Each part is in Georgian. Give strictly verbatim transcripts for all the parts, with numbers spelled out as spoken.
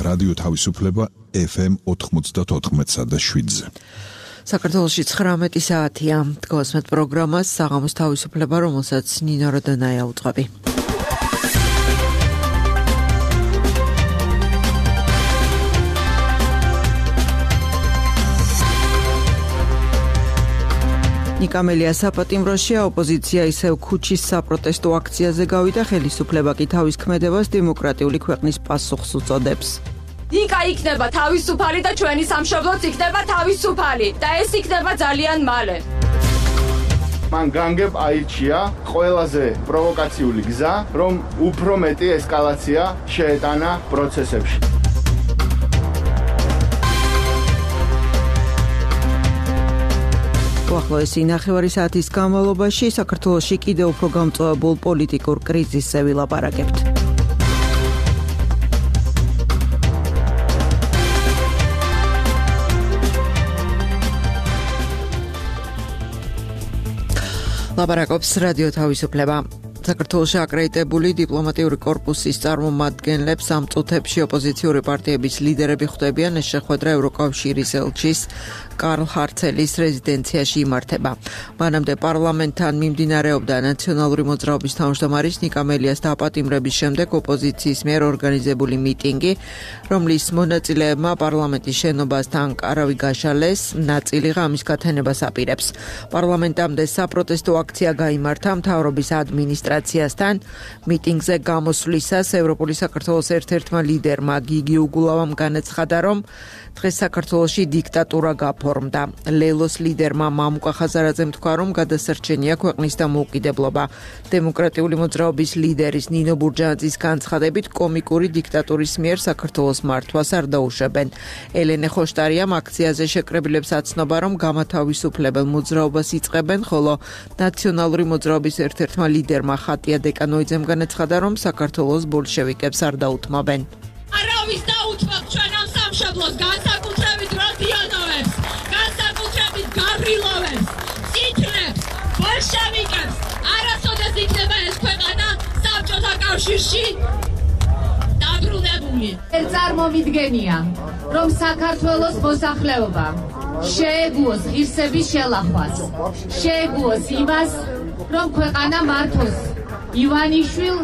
რადიო თავისუფლება ეფ ემ ოთხმოცდაოთხ და შვიდზე. საქართველოში ცხრამეტი საათია. დგოსმეთ პროგრამას საღამოს თავისუფლება, რომელსაც ნინო როდონაია უძღვები. ნიკამელია საპატიმროშია, ოპოზიცია ისევ ქუჩის საპროტესტო აქციაზე გავიდა, ხელისუფლება კი თავის ქმედებას დემოკრატიული ქვეყნის პასუხს უწოდებს. ნიკა იქნება თავისუფალი და ჩვენი სამშობლოც იქნება თავისუფალი და ეს იქნება ძალიან მალე. მან განგებ აირჩია ყველაზე პროვოკაციული გზა, რომ უფრო მეტი ესკალაცია შეეტანა პროცესებში. უახლოესი ნახევარი საათის განმავლობაში საქართველოში კიდევ უფრო გამწვავებულ პოლიტიკურ კრიზისზე ვილაპარაკებთ. ლაპარაკობს რადიო თავისუფლება. საქართველოში აკრედიტებული დიპლომატიური კორპუსის წარმომადგენლებს ამ წუთებში ოპოზიციური პარტიების ლიდერები ხვდებიან. ეს შეხვედრა ევროკავშირის ელჩის კარლ ჰარცელის რეზიდენციაში იმართება. მანამდე პარლამენტთან მიმდინარეობდა ნაციონალური მოძრაობის თავმჯდომარის ნიკამელიას დაპატიმრების შემდეგ ოპოზიციის მიერ ორგანიზებული მიტინგი, რომლის მონაწილეებმა პარლამენტის შენობასთან კარავი გაშალეს, ნაწილი ღამის გათენებას აპირებს. პარლამენტამდე საპროტესტო აქცია გაიმართა მთავრობის ადმინისტრაციასთან. მიტინგზე გამოსვლისას ევროპული საქართველოს ერთ-ერთმა ლიდერმა გიგი უგულავამ განაცხადა, რომ დღეს საქართველოში დიქტატურა გაფორმდა. ლელოს ლიდერმა მამუკა ხაზარაძემ თქვა, რომ გადასარჩენია ქვეყნის დამოუკიდებლობა. დემოკრატიული მოძრაობის ლიდერის ნინო ბურჯანაძის განცხადებით, კომიკური დიქტატურის მიერ საქართველოს მართვას არ დაუშვებენ. ელენე ხოშტარიამ აქციაზე შეკრებილებს აცნობა, რომ გამათავისუფლებელ მოძრაობას იწყებენ, ხოლო ნაციონალური მოძრაობის ერთ-ერთმა ლიდერმა ხატია დეკანოიძემ განაცხადა, რომ საქართველოს ბოლშევიკებს არ დაუთმობენ. არავის დაუთმობ ჩვენ ამ სამშობლოს, განსაკუთრებით როდიონოვებს, განსაკუთრებით გაბრილოვებს, სიტნებს, ბოლშევიკებს. არასოდეს იქნება ეს ქვეყანა საბჭოთა კავშირში დაბრუნებული. წარმომიდგენია, რომ საქართველოს მოსახლეობა შეეგუოს ღირსების შელახვას, შეეგუოს იმას, რომ ქვეყანა მართოს ივანიშვილ,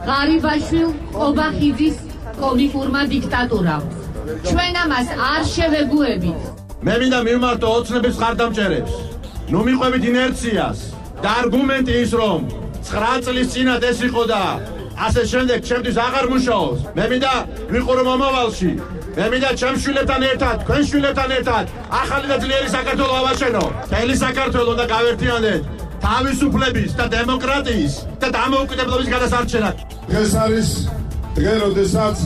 ღარიბაშვილ, ყობახიძის კომიკურმა დიქტატურამ. ჩვენ ამას არ შევეგუებით. მე მინდა მივმართო ოცნების ხარდამჭერებს. ნუ მიყვებით ინერციას და არგუმენტი ის, რომ ცხრა წლის წინათ ეს იყო და ასე შემდეგ ჩემთვის აღარ მუშაობს. მე მინდა ვიყურო მომავალში. მე მინდა ჩემ შვილებთან ერთად, თქვენ შვილებთან ერთად ახალი და ძლიერი საქართველო ავაჩენო. მთელი საქართველო უნდა გავერთიანდეთ თავისუფლების და დემოკრატიის და დამოუკიდებლობის გადასარჩენად. დღეს არის დღე, როდესაც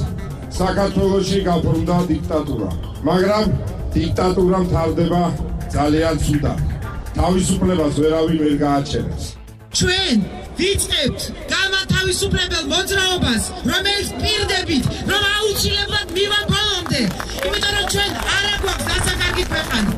საქართველოში გაფორმდა დიქტატურა, მაგრამ დიქტატურა მთავრდება ძალიან ცუდად. თავისუფლებას ვერავინ ვერ გააჩენებს. ჩვენ ვიწყებთ გამათავისუფლებელ მოძრაობას, რომელიც პირდებით, რომ აუცილებლად მივამ ბოლომდე, იმიტომ რომ ჩვენ არ აგვაქვს დასაკარგი ქვეყანა.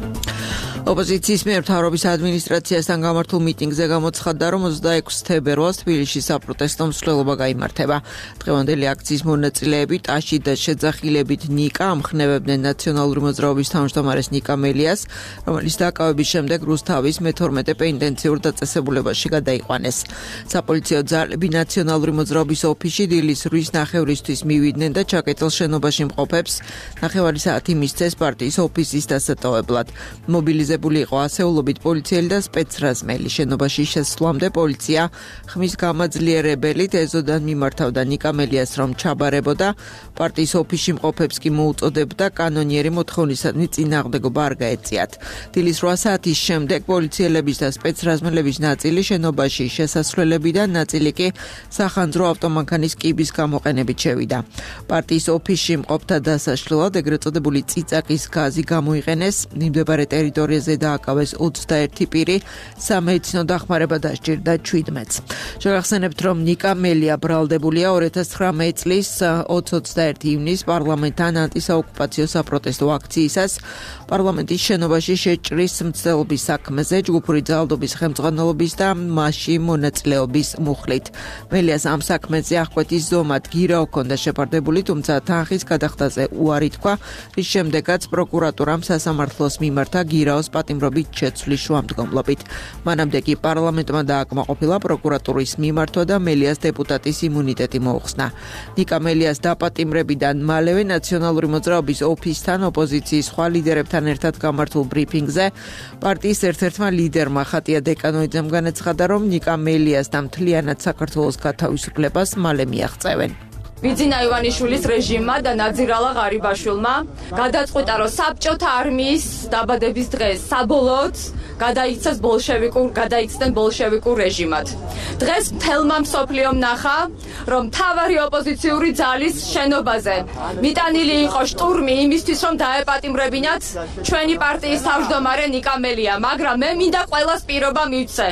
ოპოზიციის მიერ მთავრობის ადმინისტრაციასთან გამართულ მიტინგზე გამოცხადდა, რომ ოცდაექვსი თებერვალს თბილისში საპროტესტო მსვლელობა გაიმართება. დღევანდელი აქციის მონაწილეები ტაში და შეძახილებით ნიკა ამხნევებდნენ ნაციონალური მოძრაობის თავმჯდომარეს ნიკამელიას, რომელიც დაკავების შემდეგ რუსთავის მეთორმეტე პენიტენციურ დაწესებულებაში გადაიყვანეს. საპოლიციო ძალები ნაციონალური მოძრაობის ოფისში დილის რვის ნახევრისთვის მივიდნენ და ჩაკეტილ შენობაში მყოფებს ნახევარი საათი მისცეს პარტიის ოფისის დასატოვებლად. მობილიზებული იყო ასეულობით პოლიციელი და სპეცრაზმელი. შენობაში შესვლამდე პოლიცია ხმის გამაძლიერებელით ეზოდან მიმართავდა ნიკამელიას, რომ ჩაბარებოდა. პარტიის ოფისში მყოფებს კი მოუწოდებდა კანონიერი მოთხოვნისადმი წინააღმდეგობა არ გაეწიათ. დილის რვა საათის შემდეგ პოლიციელების და სპეცრაზმელების ნაწილი შენობაში შესასვლელებიდან, ნაწილი კი სახანძრო ავტომანქანის კიბის გამოყენებით შევიდა. პარტიის ოფისში მყოფთა დასაშლელად ეგრეთ წოდებული წიწაკის გაზი გამოიყენეს. მიმდებარე ტერიტორიაზე დონეზე დააკავეს ოცდაერთი პირი, სამედიცინო დახმარება დასჭირდა შვიდმეტს. შეგახსენებთ, რომ ნიკა მელია ბრალდებულია ორი ათას ცხრამეტი წლის ოცდაერთი ივნის პარლამენტთან ანტისაოკუპაციო საპროტესტო აქციისას პარლამენტის შენობაში შეჭრის მცდელობის საქმეზე ჯგუფური ძალადობის ხელმძღვანელობის და მასში მონაწილეობის მუხლით. მელიას ამ საქმეზე აღკვეთის ზომად გირა ჰქონდა შეფარდებული, თუმცა თანხის გადახდაზე უარი თქვა, რის შემდეგაც პროკურატურამ სასამართლოს მიმართა გირაოს პატიმრობით შეცვლის შუამდგომლობით. მანამდე კი პარლამენტმა დააკმაყოფილა პროკურატურის მიმართვა და მელიას დეპუტატის იმუნიტეტი მოუხსნა. ნიკა მელიას დაპატიმრებიდან მალევე ნაციონალური მოძრაობის ოფისთან ოპოზიციის სხვა ლიდერებთან ერთად გამართულ ბრიფინგზე პარტიის ერთ-ერთმა ლიდერმა ხატია დეკანოიძემ განაცხადა, რომ ნიკა მელიას და მთლიანად საქართველოს გათავისუფლებას მალე მიაღწევენ. ბიძინა ივანიშვილის რეჟიმმა და ნაძირალა ღარიბაშვილმა გადაწყვიტა, რომ საბჭოთა არმიის დაბადების დღეს საბოლოოდ გადაიქცეს ბოლშევიკურ, გადაიქცნენ ბოლშევიკურ რეჟიმად. დღეს მთელმა მსოფლიომ ნახა, რომ მთავარი ოპოზიციური ძალის შენობაზე მიტანილი იყო შტურმი იმისთვის, რომ დაეპატიმრებინათ ჩვენი პარტიის თავმჯდომარე ნიკა მელია, მაგრამ მე მინდა ყველას პირობა მივცე,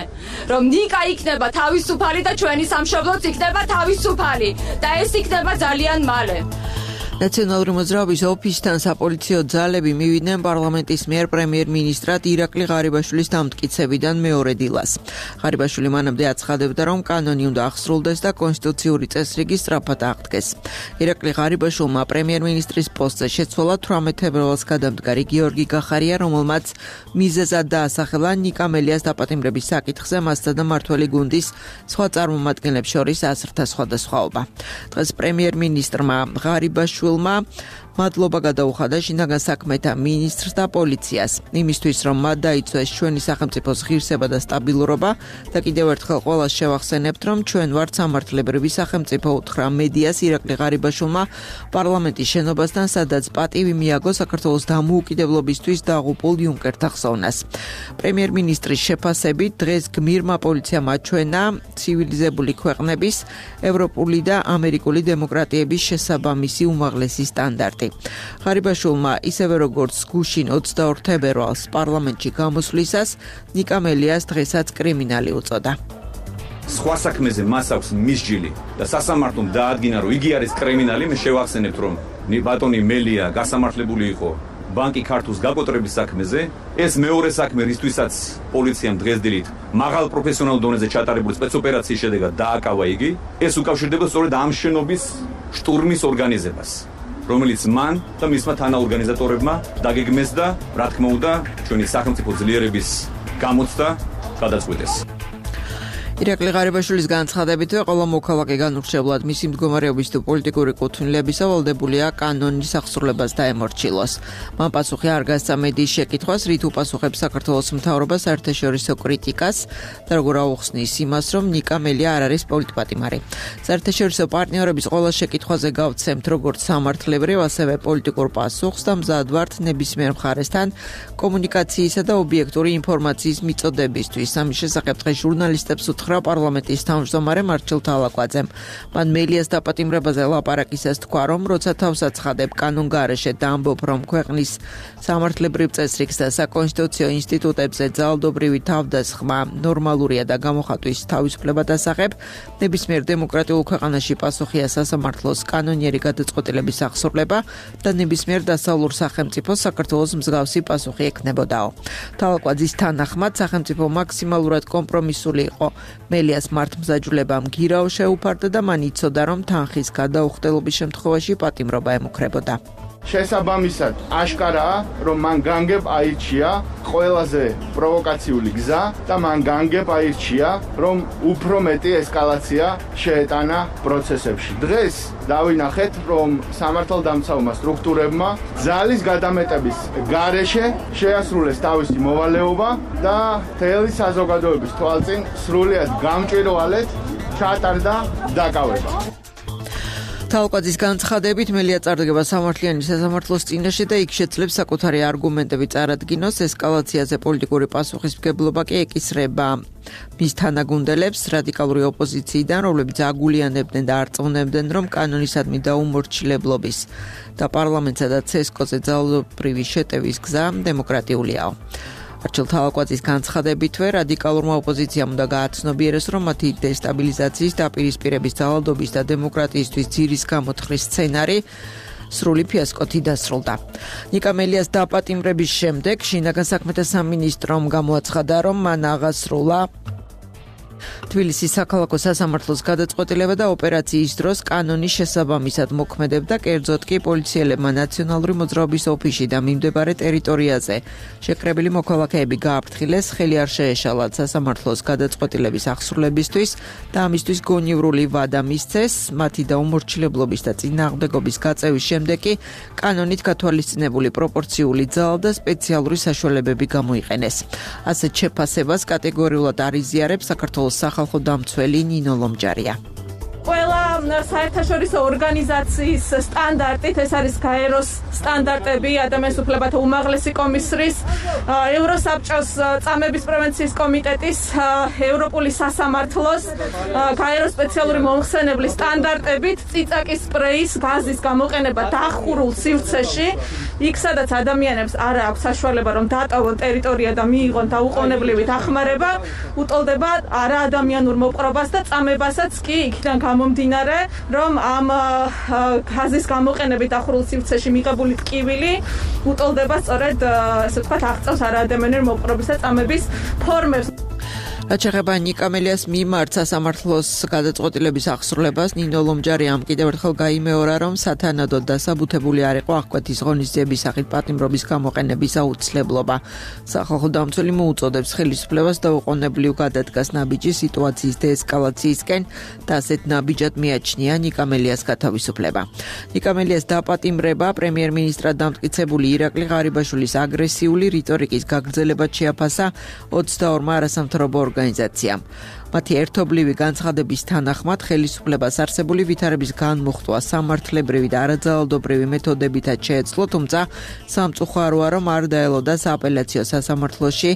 რომ ნიკა იქნება თავისუფალი და ჩვენი სამშობლოც იქნება თავისუფალი და ეს იქნება ძალიან მალე. ნაციონალური მოძრაობის ოფისთან საპოლიციო ძალები მივიდნენ პარლამენტის მიერ პრემიერ-მინისტრად ირაკლი ღარიბაშვილის დამტკიცებიდან მეორე დილას. ღარიბაშვილი მანამდე აცხადებდა, რომ კანონი უნდა აღსრულდეს და კონსტიტუციური წესრიგი სწრაფად აღდგეს. ირაკლი ღარიბაშვილმა პრემიერ-მინისტრის პოსტზე შეცვალა თვრამეტ თებერვალს გადამდგარი გიორგი გახარია, რომელმაც მიზეზად დაასახელა ნიკა მელიას დაპატიმრების საკითხზე მასთან და მმართველი გუნდის სხვა წარმომადგენლებს შორის აზრთა სხვადასხვაობა. დღეს პრემიერ-მინისტრმა ღარიბაშვილი მადლობა გადაუხადა შინაგან საქმეთა მინისტრს და პოლიციას იმისთვის, რომ მათ დაიცვეს ჩვენი სახელმწიფოს ღირსება და სტაბილურობა და კიდევ ერთხელ ყველას შევახსენებთ, რომ ჩვენ ვართ სამართლებრივი სახელმწიფო, უთხრა მედიას ირაკლი ღარიბაშვილმა პარლამენტის შენობასთან, სადაც პატივი მიაგო საქართველოს დამოუკიდებლობისთვის დაღუპულ იუნკერთა ხსოვნას. პრემიერ-მინისტრის შეფასებით დღეს გმირმა პოლიციამ აჩვენა ცივილიზებული ქვეყნების, ევროპული და ამერიკული დემოკრატიების შესაბამისი უმაღლესი სტანდარტი. ღარიბაშვილმა ისევე როგორც გუშინ ოცდაორ თებერვალს პარლამენტში გამოსვლისას ნიკა მელიას დღესაც კრიმინალი უწოდა. სხვა საქმეზე მას აქვს მისჯილი და სასამართლომ დაადგინა, რომ იგი არის კრიმინალი. მე შევახსენებთ, რომ ბატონი მელია გასამართლებული იყო ბანკი ქართულს გაკოტრების საქმეზე. ეს მეორე საქმე, რისთვისაც პოლიციამ დღესდილით მაღალ პროფესიონალურ დონეზე ჩატარებული სპეცოპერაციის შედეგად დააკავა იგი, ეს უკავშირდება სწორედ ამ შენობის შტურმის ორგანიზებას, რომელიც მან და მისმა თანაორგანიზატორებმა დაგეგმეს და, რა თქმა უნდა, ჩვენი სახელმწიფო ძლიერების გამოცდა გადაწყვიტეს. ირაკლი ღარიბაშვილის განცხადებითვე ყველა მოქალაქე განურჩევლად მისი მდგომარეობის თუ პოლიტიკური კუთვნილებისა ვალდებულია კანონის აღსრულებას დაემორჩილოს. მან პასუხი არ გასცა მედიის შეკითხვას, რით უპასუხებს საქართველოს მთავრობა საერთაშორისო კრიტიკას და როგორ აუხსნის იმას, რომ ნიკა მელია არ არის პოლიტპატიმარი. საერთაშორისო პარტნიორების ყველა შეკითხვაზე გავცემთ როგორც სამართლებრივ, ასევე პოლიტიკურ პასუხს და მზად ვართ ნებისმიერ მხარესთან კომუნიკაციისა და ობიექტური ინფორმაციის მიწოდებისთვის. ამის შესახებ დღეს ჟურნალისტებს უთხრა პარლამენტის თავმჯდომარე მარჩილ თალაკვაძემ. მან მელიას დაპატიმრებაზე ლაპარაკისას თქვა, რომ როცა თავს აცხადებ კანონგარეშე და ამბობ, რომ ქვეყნის სამართლებრივ წესრიგს და საკონსტიტუციო ინსტიტუტებზე ძალადობრივი თავდასხმა ნორმალურია და გამოხატვის თავისუფლება დასახებ, ნებისმიერ დემოკრატიულ ქვეყანაში პასუხია სასამართლოს კანონიერი გადაწყვეტილების აღსრულება და ნებისმიერ დასავლურ სახელმწიფოს საქართველოს მსგავსი პასუხი ექნებოდაო. თალაკვაძის თანახმად სახელმწიფო მაქსიმალურად კომპრომისული იყო. მელიას მართლმსაჯულებამ გირაო შეუფარდა და მან იცოდა, რომ თანხის გადაუხდელობის შემთხვევაში პატიმრობა ემუქრებოდა. შესაბამისად, აშკარაა, რომ მან განგებ აირჩია ყველაზე პროვოკაციული გზა და მან განგებ აირჩია, რომ უფრო მეტი ესკალაცია შეეტანა პროცესებში. დღეს დავინახეთ, რომ სამართალდამცავმა სტრუქტურებმა ძალის გადამეტების გარეშე შეასრულეს თავისი მოვალეობა და მთელი საზოგადოების თვალწინ სრულიად გამჭვირვალედ ჩატარდა დაკავება. თალაკვაძის განცხადებით მელია წარდგება სამართლიანი სასამართლოს წინაშე და იქ შეძლებს საკუთარი არგუმენტები წარადგინოს. ესკალაციაზე პოლიტიკური პასუხისმგებლობა კი ეკისრება მის თანაგუნდელებს რადიკალური ოპოზიციიდან, რომლებიც აგულიანებდნენ და არწმუნებდნენ, რომ კანონისადმი დაუმორჩილებლობის და პარლამენტსა და ცესკოზე ძალადობრივი შეტევის გზა დემოკრატიულიაო. არჩილ თავაკვაძის განცხადებითვე რადიკალურმა ოპოზიციამ უნდა გააცნობიეროს, რომ მათი დესტაბილიზაციის, დაპირისპირების, ძალადობის და დემოკრატიისთვის ძირის გამოთხრის სცენარი სრული ფიასკოთი დასრულდა. ნიკა მელიას დაპატიმრების შემდეგ შინაგან საქმეთა სამინისტრომ გამოაცხადა, რომ მან აღასრულა თბილისის საქალაქო სასამართლოს გადაწყვეტილება და ოპერაციის დროს კანონის შესაბამისად მოქმედებდა, კერძოდ კი პოლიციელებმა ნაციონალური მოძრაობის ოფისში და მიმდებარე ტერიტორიაზე შეკრებილი მოქალაქეები გააფრთხილეს, ხელი არ შეეშალათ სასამართლოს გადაწყვეტილების აღსრულებისთვის და ამისთვის გონივრული ვადა მისცეს. მათი დაუმორჩილებლობის და წინააღმდეგობის გაწევის შემდეგ კი კანონით გათვალისწინებული პროპორციული ძალა და სპეციალური საშუალებები გამოიყენეს. ასეთ შეფასებას კატეგორიულად არ იზიარებს საქართველოს სახალხო დამცველი ნინო ლომჯარია. ყველა საერთაშორისო ორგანიზაციის სტანდარტით, ეს არის გაეროს სტანდარტები, ადამიანის უფლებათა უმაღლესი კომისრის, ევროსაბჭოს წამების პრევენციის კომიტეტის, ევროპული სასამართლოს, გაეროს სპეციალური მომხსენებლის სტანდარტებით წიწაკის სპრეის გაზის გამოყენება დახურულ სივრცეში, იქ სადაც ადამიანებს არ აქვს საშუალება რომ დატოვონ ტერიტორია და მიიღონ დაუყოვნებლივი დახმარება, უტოლდება არაადამიანურ მოპყრობას და წამებასაც კი იქიდან გამომდინარე, რომ ამ გაზის გამოყენებით დახურულ სივრცეში მიღებული ტკივილი უტოლდება სწორედ, ასე ვთქვათ, აღწევს არაადამიანური მოპყრობის და წამების ფორმებს. რაც შეეხება ნიკა მელიას მიმართ სასამართლოს გადაწყვეტილების აღსრულებას, ნინო ლომჯარიამ კიდევ ერთხელ გაიმეორა, რომ სათანადოდ დასაბუთებული არ იყო აღკვეთის ღონისძიების სახით პატიმრობის გამოყენების აუცილებლობა. სახალხო დამცველი მოუწოდებს ხელისუფლებას დაუყოვნებლივ გადადგას ნაბიჯი სიტუაციის დეესკალაციისკენ და ასეთ ნაბიჯად მიაჩნია ნიკა მელიას გათავისუფლება. ნიკა მელიას დაპატიმრება პრემიერ-მინისტრად დამტკიცებული ირაკლი ღარიბაშვილის აგრესიული რიტორიკის გაგრძელებად შეაფასა ოცდაორმა არასამთავრობო ორგანიზაციამ. მათი ერთობლივი განცხადების თანახმად ხელისუფლებას არსებული ვითარების განმუხტვა სამართლებრივი და არაძალადობრივი მეთოდებითაც შეეძლო, თუმცა სამწუხაროა, რომ არ დაელოდა სააპელაციო სასამართლოში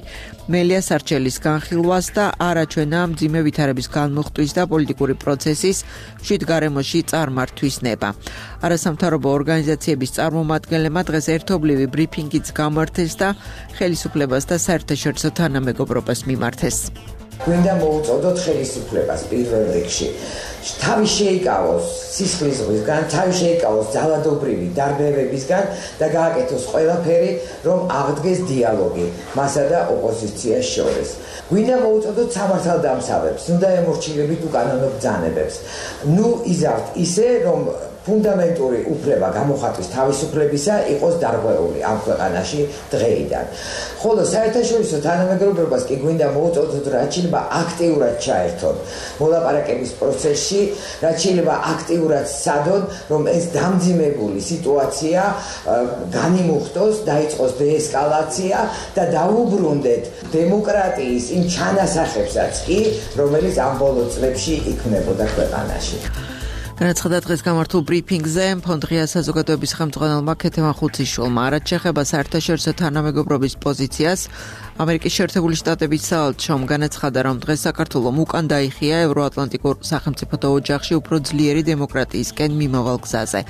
მელიას არჩელის განხილვას და არაჩვენა მძიმე ვითარების განმუხტვის და პოლიტიკური პროცესის მშვიდ გარემოში წარმართვის ნება. არასამთავრობო ორგანიზაციების წარმომადგენლებმა დღეს ერთობლივი ბრიფინგიც გამართეს და ხელისუფლებას და საერთაშორისო თანამეგობრობას მიმართეს. გვინდა მოუწოდოთ ხელისუფლებას პირველ რიგში. თავი შეიკავოს სისხლის ზღვისგან, თავი შეიკავოს ძალადობრივი დარბევებისგან და გააკეთოს ყველაფერი, რომ აღდგეს დიალოგი მასა და ოპოზიციას შორის. გვინდა მოუწოდოთ სამართალდამცავებს, უნდა ემორჩილებით უკანონო ბრძანებებს. ნუ იზავთ ისე, რომ ფუნდამენტური უფლება გამოხატვის თავისუფლებისა იყოს დარღვეული ამ ქვეყანაში დღეიდან. ხოლო საერთაშორისო თანამეგობრობას კი გვინდა მოუწოდოთ, რაც შეიძლება აქტიურად ჩაერთონ მოლაპარაკების პროცესში, რაც შეიძლება აქტიურად სცადონ, რომ ეს დამძიმებული სიტუაცია განიმუხტოს, დაიწყოს დეესკალაცია და დაუბრუნდეთ დემოკრატიის იმ ჩანასახებსაც კი, რომელიც ამ ბოლო წლებში იქმნებოდა ქვეყანაში. განაცხადა დღეს გამართულ ბრიფინგზე ფონდღია საზოგადოების ხელმძღვანელმა ქეთევან ხუციშვილმა. რაც შეეხება საერთაშორისო თანამეგობრობის პოზიციას, ამერიკის შეერთებული შტატების საელჩომ განაცხადა, რომ დღეს საქართველომ უკან დაიხია ევროატლანტიკურ სახელმწიფოთა ოჯახში უფრო ძლიერი დემოკრატიისკენ მიმავალ გზაზე.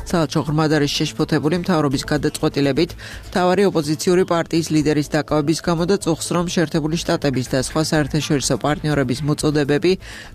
საელჩო ღრმად არის შეშფოთებული მთავრობის გადაწყვეტილებით მთავარი ოპოზიციური პარტიის ლიდერის დაკავების გამო და წუხს, რომ შეერთებული შტატების და სხვა საერთაშორისო პარტნიორების მოწოდებები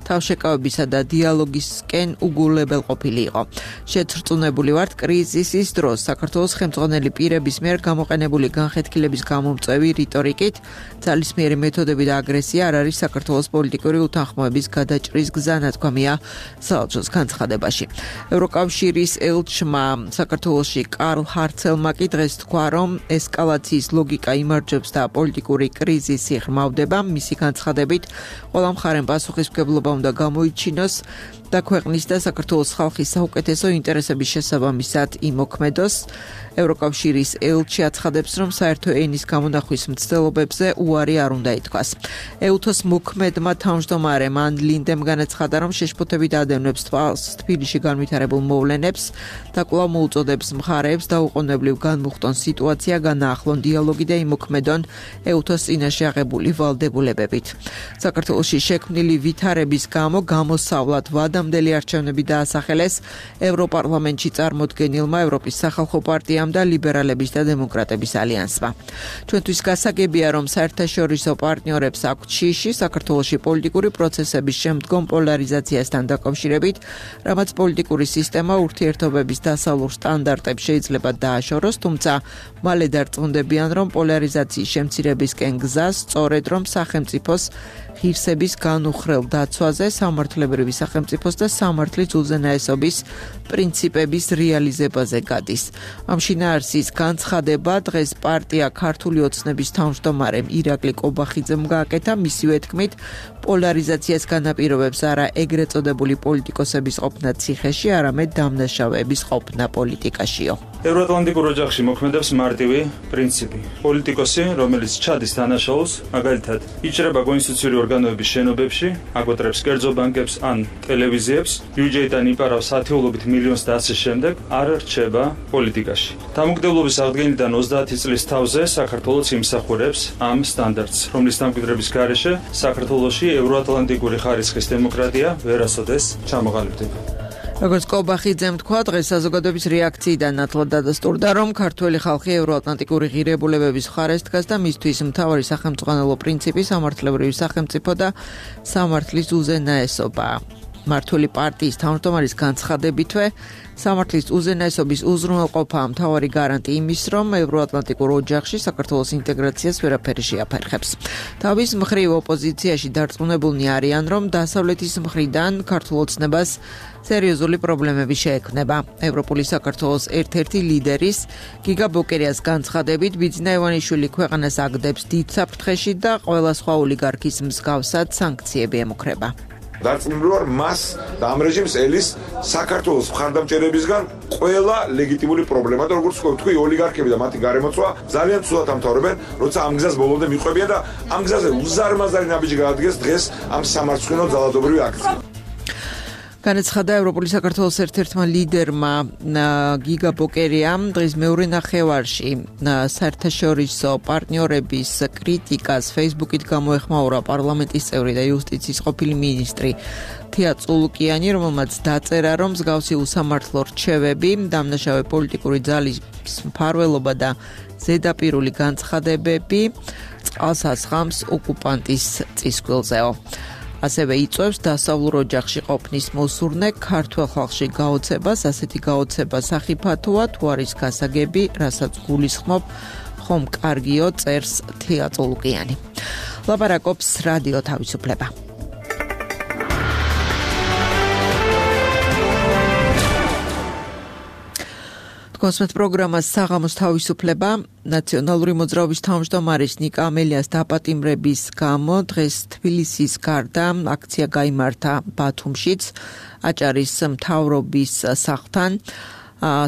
თავშეკავებისა და დიალოგისკენ უგულებელ ყოფილი იყო. შეცრწუნებული ვართ კრიზისის დროს საქართველოს ხელმძღვანელი პირების მიერ გამოყენებული განხეთქილების გამომწვევი რიტორიკით ძალისმიერი მეთოდები და აგრესია არ არის საქართველოს პოლიტიკური უთანხმოების გადაჭრის გზა, ნათქვამია საელჩოს განცხადებაში. ევროკავშირის ელჩმა საქართველოში კარლ ჰარცელმა კი დღეს თქვა, რომ ესკალაციის ლოგიკა იმარჯვებს და პოლიტიკური კრიზისი ღრმავდება. მისი განცხადებით, ყველა მხარემ პასუხისმგებლობა უნდა გამოიჩინოს და ქვეყნის და საქართველოს ხალხის საუკეთესო ინტერესების შესაბამისად იმოქმედოს. ევროკავშირის ელჩი აცხადებს, რომ საერთო ენის გამონახვის მცდელობებზე უარი არ უნდა ითქვას. ეუთოს მოქმედმა თავმჯდომარემ ან ლინდემ განაცხადა, რომ შეშფოთებით ადევნებს თვალს თბილისში განვითარებულ მოვლენებს და კვლავ მოუწოდებს მხარეებს დაუყოვნებლივ განმუხტონ სიტუაცია, განაახლონ დიალოგი და იმოქმედონ ეუთოს წინაშე აღებული ვალდებულებებით. საქართველოში შექმნილი ვითარების გამო გამოსავლად ვადა დღევანდელი არჩევნები დაასახელეს ევროპარლამენტში წარმოდგენილმა ევროპის სახალხო პარტიამ და ლიბერალების და დემოკრატების ალიანსმა. ჩვენთვის გასაგებია, რომ საერთაშორისო პარტნიორებს აქვთ შიში საქართველოში პოლიტიკური პროცესების შემდგომ პოლარიზაციასთან დაკავშირებით, რამაც პოლიტიკური სისტემა ურთიერთობების დასავლურ სტანდარტებს შეიძლება დააშოროს, თუმცა მალე დარწმუნდებიან, რომ პოლარიზაციის შემცირებისკენ გზა სწორედ რომ სახელმწიფოს ღირსების განუხრელ დაცვაზე, სამართლებრივი სახელმწიფოს და სამართლის უზენაესობის პრინციპების რეალიზებაზე გადის. ამ შინაარსის განცხადება დღეს პარტია ქართული ოცნების თავმჯდომარემ ირაკლი კობახიძემ გააკეთა, მისივე თქმით, პოლარიზაციას განაპირობებს არა ეგრეთ წოდებული პოლიტიკოსების ყოფნა ციხეში, არამედ დამნაშავეების ყოფნა პოლიტიკაშიო. ევროატლანტიკურ ოჯახში მოქმედებს მარტივი პრინციპი. პოლიტიკოსი, რომელიც ჩადის დანაშაულს, მაგალითად, იჭრება კონსტიტუციური ორგანოების შენობებში, აკვეტრებს კერძო ბანკებს ან ტელევიზიებს, ბიუჯეტიდან იპარავს ათეულობით მილიონს და ასე შემდეგ, არ რჩება პოლიტიკაში. დამოუკიდებლობის აღდგენიდან ოცდაათი წლის თავზე საქართველოს იმსახურებს ამ სტანდარტს, რომლის დამკვიდრების გარეშე საქართველოში ევროატლანტიკური ხარისხის დემოკრატია ვერასოდეს ჩამოყალიბდება. როგორც კობახიძემ თქვა, დღეს საზოგადოების რეაქციიდან ნათლად დადასტურდა, რომ ქართველი ხალხი ევროატლანტიკური ღირებულებების მხარეს დგას და მისთვის მთავარი სახელმწიფო პრინციპი სამართლებრივი სახელმწიფო და სამართლის უზენაესობაა. მართული პარტიის თავმჯდომარის განცხადებითვე, სამართლის უზენაესობის უზრუნველყოფაა მთავარი გარანტი იმის, რომ ევროატლანტიკურ ოჯახში საქართველოს ინტეგრაციას ვერაფერი შეაფერხებს. თავის მხრივ ოპოზიციაში დარწმუნებულნი არიან, რომ დასავლეთის მხრიდან ქართულ ოცნებას სერიოზული პრობლემები შეექმნება. ევროპული საქართველოს ერთ-ერთი ლიდერის გიგა ბოკერიას განცხადებით, ბიძინა ივანიშვილი ქვეყანას აგდებს დიდ საფრთხეში და ყველა სხვა ოლიგარქის მსგავსად სანქციები ემუქრება. დარწმუნებული ვარ მას და ამ რეჟიმს ელის საქართველოს მხარდამჭერებისგან ყველა ლეგიტიმური პრობლემა და როგორც თქვი ოლიგარქები და მათი გარემოცვა ძალიან ცუდად ამთავრებენ, როცა ამ გზას ბოლომდე მიყვებიან და ამ გზაზე უზარმაზარი ნაბიჯი გაადგეს დღეს ამ სამარცხვინო ძალადობრივი აქცია. განაცხადა ევროპული საქართველოს ერთ-ერთმა ლიდერმა გიგა ბოკერიამ დღეს მეორე ნახევარში საერთაშორისო პარტნიორების კრიტიკას Facebook-ით გამოეხმაურა პარლამენტის წევრი და იუსტიციის ყოფილი მინისტრი თია წულუკიანი, რომელმაც დაწერა, რომ მსგავსი უსამართლო რჩევები, დამნაშავე პოლიტიკური ძალის მფარველობა და ზედაპირული განცხადებები წყალს ასხამს ოკუპანტის წისქვილზეო. ასევე იწვევს დასავლურ ოჯახში ყოფნის მოსურნე ქართველ ხალხში გაოცებას, ასეთი გაოცება სახიფათოა, თუ არის გასაგები, რასაც გულისხმობ, ხომ კარგიო, წერს თია წულუკიანი. ლაპარაკობს რადიო თავისუფლება. კონსმეთ პროგრამას საღამოს თავისუფლება ნაციონალური მოძრაობის თავმჯდომარის ნიკა ამელიას დაპატიმრების გამო დღეს თბილისის გარდა აქცია გაიმართა ბათუმშიც აჭარის მთავრობის სახლთან.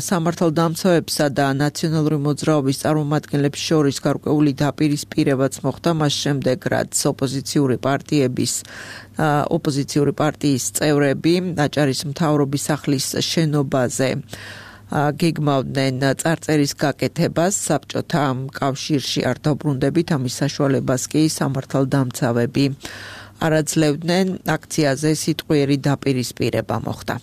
სამართალდამცავებსა და ნაციონალური მოძრაობის წარმომადგენლებს შორის გარკვეული დაპირისპირებაც მოხდა მას შემდეგ, რაც ოპოზიციური პარტიების ოპოზიციური პარტიის წევრები აჭარის მთავრობის სახლის შენობაზე გეგმავდნენ წარწერის გაკეთებას, საბჭოთა კავშირში არ დაუბრუნდებით, ამის საშუალებას კი სამართალდამცავები არაძლევდნენ. აქციაზე სიტყვიერი დაპირისპირება მოხდა.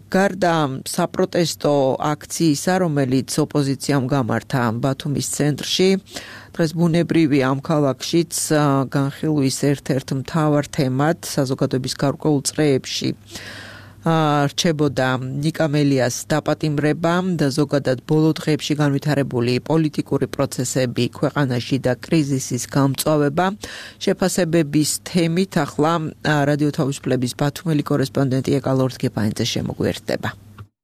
გარდა საპროტესტო აქციისა, რომელიც ოპოზიციამ გამართა ბათუმის ცენტრში, დღეს ბუნებრივი ამ ქალაქშიც განხილვის ერთ-ერთ მთავარ თემად საზოგადოების გარკვეულ წრეებში რჩებოდა ნიკა ამელიას დაპატიმრება და ზოგადად ბოლო დღეებში განვითარებული პოლიტიკური პროცესები ქვეყანაში და კრიზისის გამწვავება. შეფასებების თემით ახლა რადიო თავისუფლების ბათუმელი კორესპონდენტი ეკალორდ გეპაინძე შემოგვიერთდება.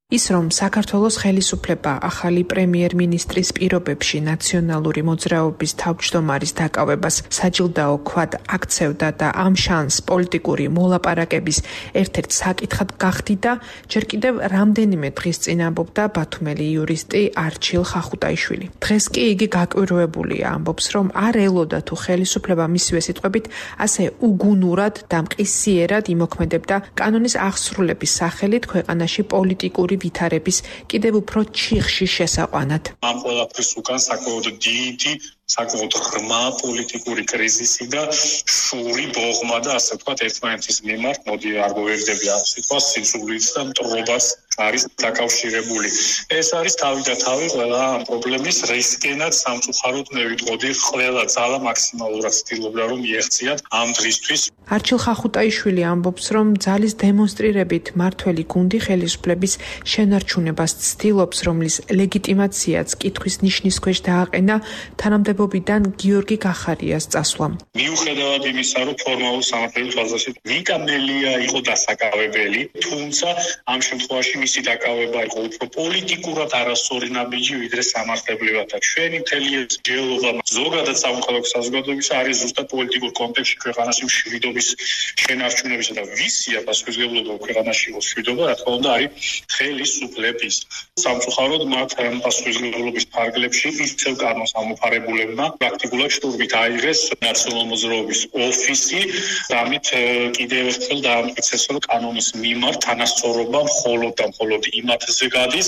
ის რომ საქართველოს ხელისუფლება ახალი პრემიერ-მინისტრის პირობებში ნაციონალური მოძრაობის თავმჯდომარის დაკავებას საჯილდაო ქვად აქცევდა და ამ შანს პოლიტიკური მოლაპარაკების ერთ-ერთ საკითხად გახდიდა, ჯერ კიდევ რამდენიმე დღის წინ ამბობდა ბათუმელი იურისტი არჩილ ხახუტაიშვილი. დღეს კი იგი გაკვირვებულია, ამბობს, რომ არ ელოდა თუ ხელისუფლება მისივე სიტყვებით ასე უგუნურად და მყისიერად იმოქმედებდა კანონის აღსრულების სახელით ქვეყანაში პოლიტიკური ვითარების კიდევ უფრო ჩიხში შესაყვანად. ამ ყველაფრის უკან საკმაოდ დიდი საკმაოდ ღრმა პოლიტიკური კრიზისი და შური ბოღმა და ასე ვთქვათ ერთმანეთის მიმართ, მოდი არ მოვერდები ამ სიტყვას, სიძულვით და მტრობას არის დაკავშირებული. ეს არის თავი და თავი ყველა ამ პრობლემის რისკენად სამწუხაროდ მე ვიტყოდი ყველა ძალა მაქსიმალურად ცდილობდა რომ მიეღწიათ ამ დღისთვის. არჩილ ხახუტაიშვილი ამბობს, რომ ძალის დემონსტრირებით მართველი გუნდი ხელისუფლების შენარჩუნებას ცდილობს, რომლის ლეგიტიმაციაც კითხვის ნიშნის ქვეშ დააყენა თანამდებობიდან გიორგი გახარიას წასვლამ. მიუხედავად იმისა, რომ ფორმალურ სამართლებრივ თვალსაზრისით ნიკა მელია იყო დასაკავებელი, თუმცა ამ შემთხვევაში მისი დაკავება იყო უფრო პოლიტიკურად არასწორი ნაბიჯი, ვიდრე სამართლებრივად. და ჩვენი მთელი ჯელობა ზოგადად სამოქალაქო საზოგადოებისა არის ზუსტად პოლიტიკურ კონტექსტში ქვეყანაში მშვიდობის შენარჩუნებისა და ვისია პასუხისმგებლობა ქვეყანაში იყო მშვიდობა, რა თქმა უნდა, არის ხელისუფლების. სამწუხაროდ მათ პასუხისმგებლობის ფარგლებში ისევ კანონს ამოფარებულებმა პრაქტიკულად შტურმით აიღეს ნაციონალურ მოძრაობის ოფისი, ამით კიდევ ერთხელ დაამტკიცეს, რომ კანონის მიმართ თანასწორობა მხოლოდ და მხოლოდ იმათზე გადის,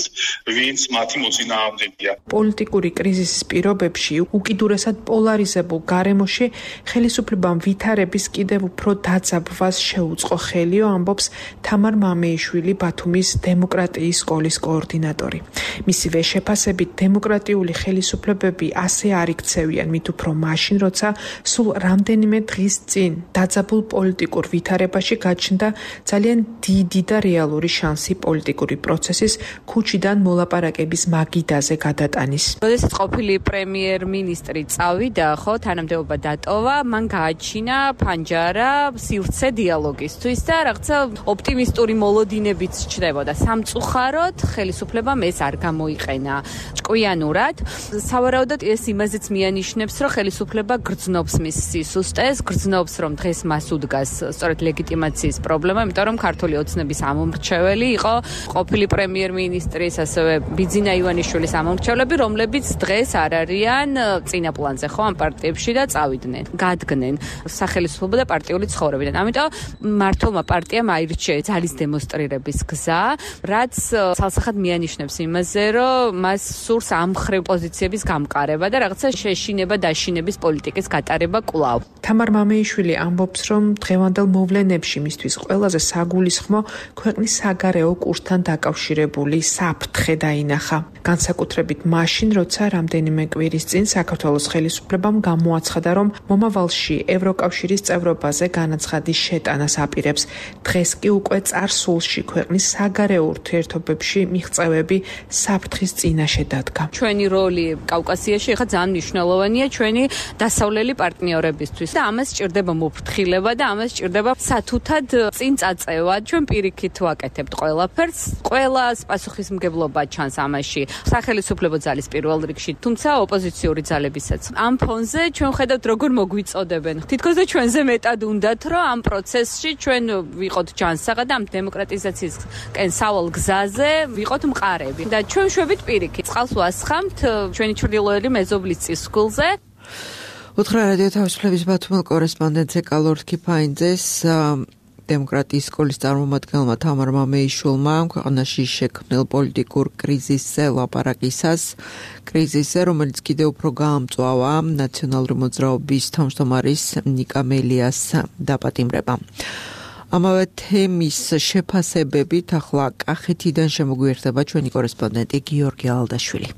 ვინც მათი მოწინააღმდეგეა. პოლიტიკური კრიზისის პირობებში უკიდურესად პოლარიზებულ გარემოში ხელისუფლებამ ვითარების კიდევ უფრო დაძაბვას შეუწყო ხელიო, ამბობს თამარ მამეიშვილი, ბათუმის დემოკრატიის სკოლის კოორდინატორი. მისივე შეფასებით დემოკრატიული ხელისუფლებები ასე არ იქცევიან მით უფრო მაშინ, როცა სულ რამდენიმე დღის წინ დაძაბულ პოლიტიკურ ვითარებაში გაჩნდა ძალიან დიდი და რეალური შანსი პოლიტიკური პროცესის ქუჩიდან მოლაპარაკების მაგიდაზე გადატანის. როდესაც ყოფილი პრემიერ-მინისტრი წავიდა, ხო, თანამდებობა დატოვა, მან გააჩინა ფანჯარა სივრცე დიალოგისთვის და რაღაცა ოპტიმისტური მოლოდინებიც ჩნდებოდა. სამწუხაროდ ხელისუფლებამ ეს არ გამოიყენა ჭკვიანურად. სავარაუდოდ ეს იმაზეც მიანიშნებს, რომ ხელისუფლება გრძნობს მის სისუსტეს, გრძნობს, რომ დღეს მას უდგას სწორედ ლეგიტიმაციის პრობლემა, იმიტომ რომ ქართული ოცნების ამომრჩეველი იყო ყოფილი პრემიერ-მინისტრის, ასევე ბიძინა ივანიშვილის ამომრჩევლები, რომლებიც დღეს არ არიან წინა პლანზე, ხო, ამ პარტიებში და წავიდნენ, გადგნენ სახელისუფლებო და პარტიული ცხოვრებიდან. ამიტომ მართლმა პარტიამ აირჩია ძალის დემონსტრირების გზა, რაც ცალსახად მიანიშნებს იმაზე, რომ მას სურს ამ მხრივ პოზიციების გამყარება და რაღაცა შეშინება დაშინების პოლიტიკის გატარება კვლავ. თამარ მამეიშვილი ამბობს, რომ დღევანდელ მოვლენებში მისთვის ყველაზე საგულისხმო ქვეყნის საგარეო კურსთან დაკავშირებული საფრთხე დაინახა. განსაკუთრებით მაშინ, როცა რამდენიმე კვირის წინ საქართველოს ხელისუფლებამ გამოაცხადა, რომ მომავალში ევროკავშირის წევრობაზე განაცხადის შეტანას აპირებს. დღეს კი უკვე წარსულში ქვეყნის საგარეო ურთიერთობებში მიღწევები საფრთხის წინაშე დადგა. ჩვენი როლი კავკასიაში ხა ძალიან მნიშვნელოვანია ჩვენი დასავლელი პარტნიორებისთვის და ამას სჭირდება მოფრთხილება და ამას სჭირდება სათუთად წინ წაწევა. ჩვენ პირიქით ვაკეთებთ ყველაფერს, ყველას პასუხისმგებლობა ჩანს ამაში სახელისუფლებო ძალის პირველ რიგში, თუმცა ოპოზიციური ძალებისაც. ამ ფონზე ჩვენ ხედავთ როგორ მოგვიწოდებენ. თითქოს და ჩვენზე მეტად უნდათ, რომ ამ პროცესში ჩვენ ვიყოთ ჯანსაღად და ამ დემოკრატიზაციისკენ სავალ გზაზე ვიყოთ მყარები. და ჩვენ შვებით პირიქით წყალს ვასხამთ ჩვენი ჩრდილოელი მეზობლის წისქვილზე. უთხრა რადიო თავისუფლების ბათუმელ კორესპონდენტზე კალორდ კიფაინძეს დემოკრატიის სკოლის წარმომადგენელმა თამარ მამეიშვილმა ქვეყანაში შექმნილ პოლიტიკურ კრიზისზე ლაპარაკისას, კრიზისზე, რომელიც კიდევ უფრო გაამწვავა ნაციონალური მოძრაობის თავმჯდომარის ნიკა მელიას დაპატიმრება. ამავე თემის შეფასებებით ახლა კახეთიდან შემოგვიერთდება ჩვენი კორესპონდენტი გიორგი ალდაშვილი.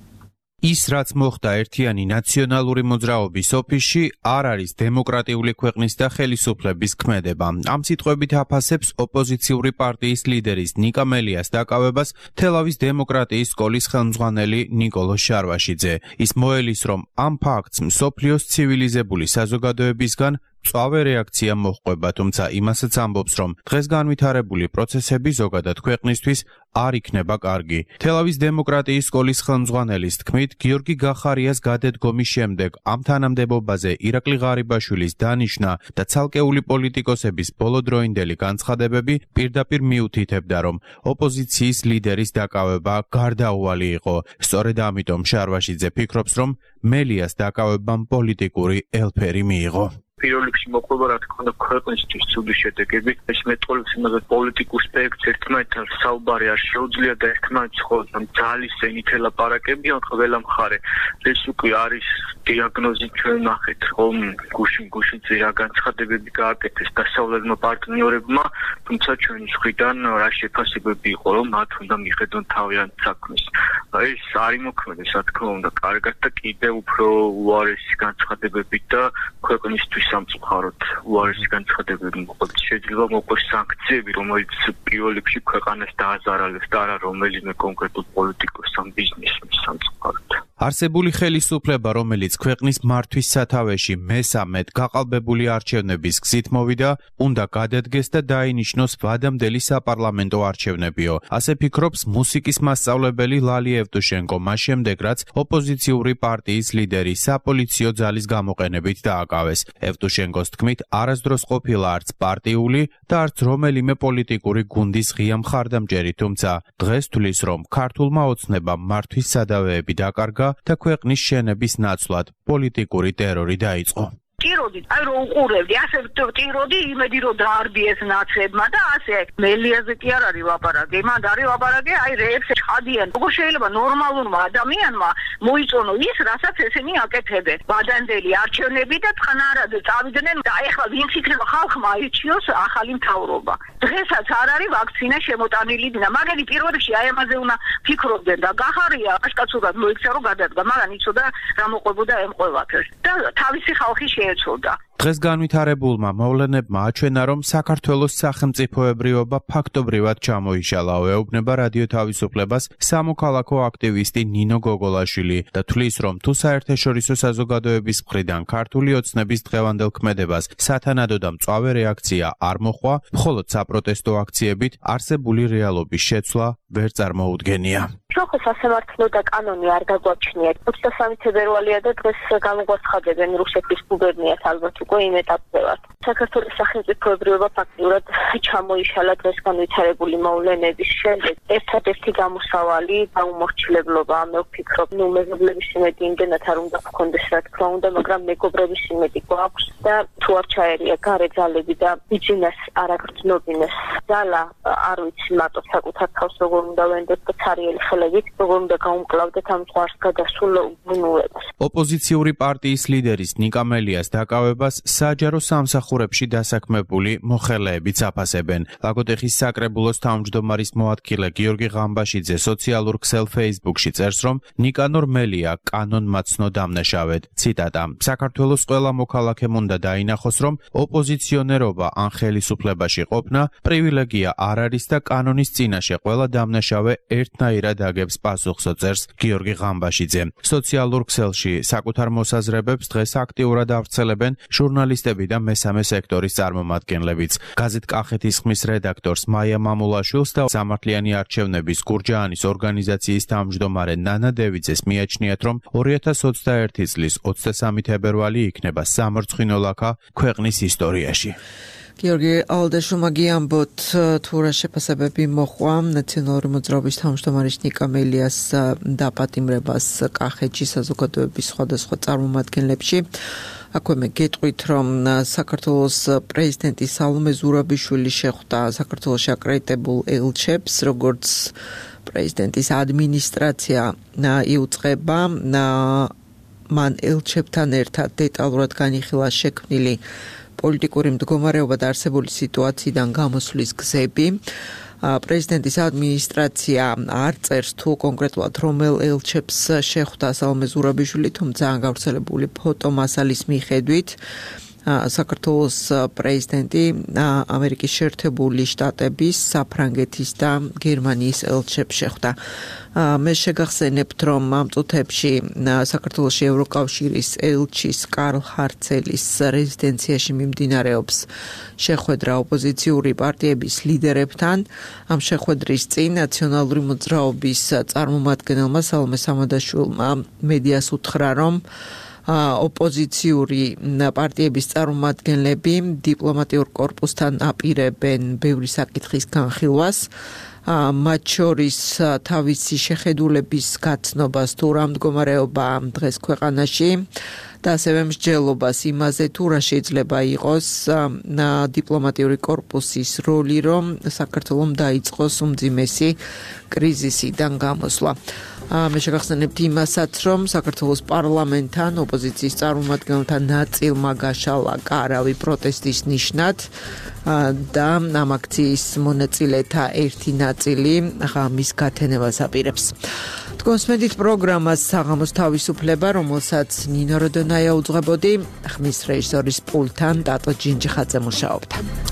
ის რაც მოხდა ერთიანი ნაციონალური მოძრაობის ოფისში არ არის დემოკრატიული ქვეყნის და ხელისუფლების ქმედება. ამ სიტყვებით აფასებს ოპოზიციური პარტიის ლიდერის ნიკა მელიას დაკავებას თელავის დემოკრატიის სკოლის ხელმძღვანელი ნიკოლო შარვაშიძე. ის მოელის, რომ ამ ფაქტს მსოფლიოს ცივილიზებული საზოგადოებისგან მწვავე რეაქცია მოჰყვება, თუმცა იმასაც ამბობს, რომ დღეს განვითარებული პროცესები ზოგადად ქვეყნისთვის არ იქნება კარგი. თელავის დემოკრატიის სკოლის ხელმძღვანელის თქმით, გიორგი გახარიას გადადგომის შემდეგ ამ თანამდებობაზე ირაკლი ღარიბაშვილის დანიშვნა და ცალკეული პოლიტიკოსების ბოლოდროინდელი განცხადებები პირდაპირ მიუთითებდა, რომ ოპოზიციის ლიდერის დაკავება გარდაუვალი იყო. სწორედ ამიტომ შარვაშიძე ფიქრობს, რომ მელიას დაკავებამ პოლიტიკური ელფერი მიიღო. პირველ რიგში მოყვება რა თქმა უნდა ქვეყნისთვის ცუდი შედეგები. ეს მეტყოლებს იმაზე პოლიტიკურ სპექტრს ერთმანეთთან საუბარი არ შეუძლია და ერთმანეთს ხოლმე ძალის ენით ელაპარაკებიან ყველა მხარე. ეს უკვე არის დიაგნოზი ჩვენ ნახეთ ხომ გუშინ გუშინზე რა განცხადებები გააკეთეს დასავლელმა პარტნიორებმა, თუმცა ჩვენი მხრიდან რა შეფასებები იყო რომ მათ უნდა მიხედონ თავიანთ საქმეს. ეს არ იმოქმედეს რა თქმა უნდა კარგად და კიდე უფრო უარესი განცხადებები და ქვეყნისთვის სამწუხაროდ უარესი განცხადებები მოყვებით. შეიძლება მოყვეს სანქციები, რომელიც პირველ რიგში ქვეყანას დააზარალებს და არა რომელიმე კონკრეტულ პოლიტიკოს ან ბიზნესის სამწუხაროდ. არსებული ხელისუფლება, რომელიც ქვეყნის მართვის სათავეში მესამედ გაყალბებული არჩევნების გზით მოვიდა, უნდა გადადგეს და დაინიშნოს ვადამდელი საპარლამენტო არჩევნებიო. ასე ფიქრობს მუსიკის მასწავლებელი ლალი ევტუშენკო, მას შემდეგ რაც ოპოზიციური პარტიის ლიდერი საპოლიციო ძალის გამოყენებით დააკავეს. ევტუშენკოს თქმით, არასდროს ყოფილა არც პარტიული და არც რომელიმე პოლიტიკური გუნდის ღია მხარდამჭერი, თუმცა დღეს თვლის, რომ ქართულმა ოცნებამ მართვის სადავეები დაკარგა და ქვეყნის შენების ნაცვლად პოლიტიკური ტერორი დაიწყო. ტიროდი, აი რომ უყურებდი, ასე ტიროდი იმედი რომ დაარბიეს ნაცებმა და ასე მელიაზე კი არ არის ლაპარაკი, მან არის ლაპარაკი აი რეებს ჩადიან. როგორ შეიძლება ნორმალურმა ადამიანმა მოიწონო ის, რასაც ესენი აკეთებენ. ვადანდელი არჩევნები და წყნარად წავიდნენ და ეხლა ვინც იქნება ხალხმა აირჩიოს ახალი მთავრობა. დღესაც არ არის ვაქცინა შემოტანილი და მაგარი პირველ რიგში აი ამაზე უნდა ფიქრობდნენ და გახარია აშკაცურად მოიქცა რომ გადადგა, მაგრამ იცოდა რა მოყვებოდა ამ ყველაფერს. და თავისი ხალხი შეეცოდა. დღეს განვითარებულმა მოვლენებმა აჩვენა, რომ საქართველოს სახელმწიფოებრიობა ფაქტობრივად ჩამოიშალა, ეუბნება რადიო თავისუფლებას სამოქალაქო აქტივისტი ნინო გოგოლაშვილი და თვლის, რომ თუ საერთაშორისო საზოგადოების მხრიდან ქართული ოცნების დღევანდელ ქმედებას სათანადო და მწვავე რეაქცია არ მოჰყვა, მხოლოდ საპროტესტო აქციებით არსებული რეალობის შეცვლა ვერ წარმოუდგენია. შოხო სასამართლო და კანონი არ გაგვაჩნიათ. ოცდასამი თებერვალია და დღეს გამოგვაცხადებენ რუსეთის გუბერნიას ალბათ უკვე იმ ეტაპზე ვართ. საქართველოს სახელმწიფოებრიობა ფაქტიურად ჩამოიშალა დღეს განვითარებული მოვლენების შემდეგ. ერთადერთი გამოსავალი დაუმორჩილებლობა, მე ვფიქრობ, ნუ მეზობლების იმედი იმდენად არ უნდა გქონდეს რა თქმა უნდა, მაგრამ მეგობრების იმედი გვაქვს და თუ არ ჩაერია გარე ძალები და ბიძინას არ აგრძნობინეს ძალა, არ ვიცი მარტო საკუთარ თავს როგორ უნდა ვენდოთ და ცარიელი ხელებით როგორ უნდა გაუმკლავდეთ ამ ზღვარს გადასულ უბნურებას. ოპოზიციური პარტიის ლიდერის ნიკა მელიას დაკავებას საჯარო სამსახურებში დასაქმებული მოხელეებიც აფასებენ. ლაგოდეხის საკრებულოს თავმჯდომარის მოადგილე გიორგი ღამბაშიძე სოციალურ ქსელ Facebook-ში წერს, რომ ნიკანორ მელია კანონმაცნო დამნაშავედ. ციტატა: საქართველოს ყველა მოქალაქემ უნდა დაინახოს, რომ ოპოზიციონერობა ან ხელისუფლებაში ყოფნა პრივილეგია არ არის და კანონის წინაშე ყველა დამნაშავე ერთნაირად აგებს პასუხსო, წერს გიორგი ღამბაშიძე. სოციალურ ქსელში საკუთარ მოსაზრებებს დღეს აქტიურად ავრცელებენ ჟურნალისტები და მესამე სექტორის წარმომადგენლებიც. გაზეთ კახეთის ხმის რედაქტორს მაია მამულაშვილს და სამართლიანი არჩევნების გურჯაანის ორგანიზაციის თავმჯდომარე ნანა დევიძეს მიაჩნიათ, რომ ორი ათას ოცდაერთი წლის ოცდასამი თებერვალი იქნება სამარცხვინო ლაქა ქვეყნის ისტორიაში. გიორგი ალდაშუმა გიამბოთ თუ რა შეფასებები მოხვა ნაციონალური მოძრაობის თავმჯდომარის ნიკა მელიას დაპატიმრებას კახეთში საზოგადოების სხვადასხვა წარმომადგენლებში. აქვე მე გეტყვით, რომ საქართველოს პრეზიდენტი სალომე ზურაბიშვილი შეხვდა საქართველოში აკრედიტებულ ელჩებს, როგორც პრეზიდენტის ადმინისტრაცია იუწყება, მან ელჩებთან ერთად დეტალურად განიხილა შექმნილი პოლიტიკური მდგომარეობა და არსებული სიტუაციიდან გამოსვლის გზები. პრეზიდენტის ადმინისტრაცია არ წერს თუ კონკრეტულად რომელ ელჩებს შეხვდა სალომე ზურაბიშვილი, თუმცა გავრცელებული ფოტომასალის მიხედვით საქართველოს პრეზიდენტი ამერიკის შეერთებული შტატების, საფრანგეთის და გერმანიის ელჩებს შეხვდა. მე შეგახსენებთ, რომ ამ წუთებში საქართველოში ევროკავშირის ელჩის კარლ ჰარცელის რეზიდენციაში მიმდინარეობს შეხვედრა ოპოზიციური პარტიების ლიდერებთან. ამ შეხვედრის წინ ნაციონალური მოძრაობის წარმომადგენელმა სალომე სამადაშვილმა მედიას უთხრა, რომ ოპოზიციური პარტიების წარმომადგენლები დიპლომატიურ კორპუსთან აპირებენ ბევრი საკითხის განხილვას, მათ შორის თავისი შეხედულების გაცნობას თუ რა მდგომარეობა დღეს ქვეყანაში და ასევე მსჯელობას იმაზე, თუ რა შეიძლება იყოს დიპლომატიური კორპუსის როლი, რომ საქართველომ დაიწყოს უმძიმესი კრიზისიდან გამოსვლა. მე შეგახსენებთ იმასაც, რომ საქართველოს პარლამენტთან ოპოზიციის წარმომადგენელთა ნაწილმა გაშალა კარავი პროტესტის ნიშნად და ამ აქციის მონაწილეთა ერთი ნაწილი ღამის გათენებას აპირებს. თქვენსმენდით პროგრამას საღამოს თავისუფლება, რომელსაც ნინო როდონაია უძღვებოდი, ხმის რეჟისორის პულტთან ტატო ჯინჯიხაძე მუშაობდა.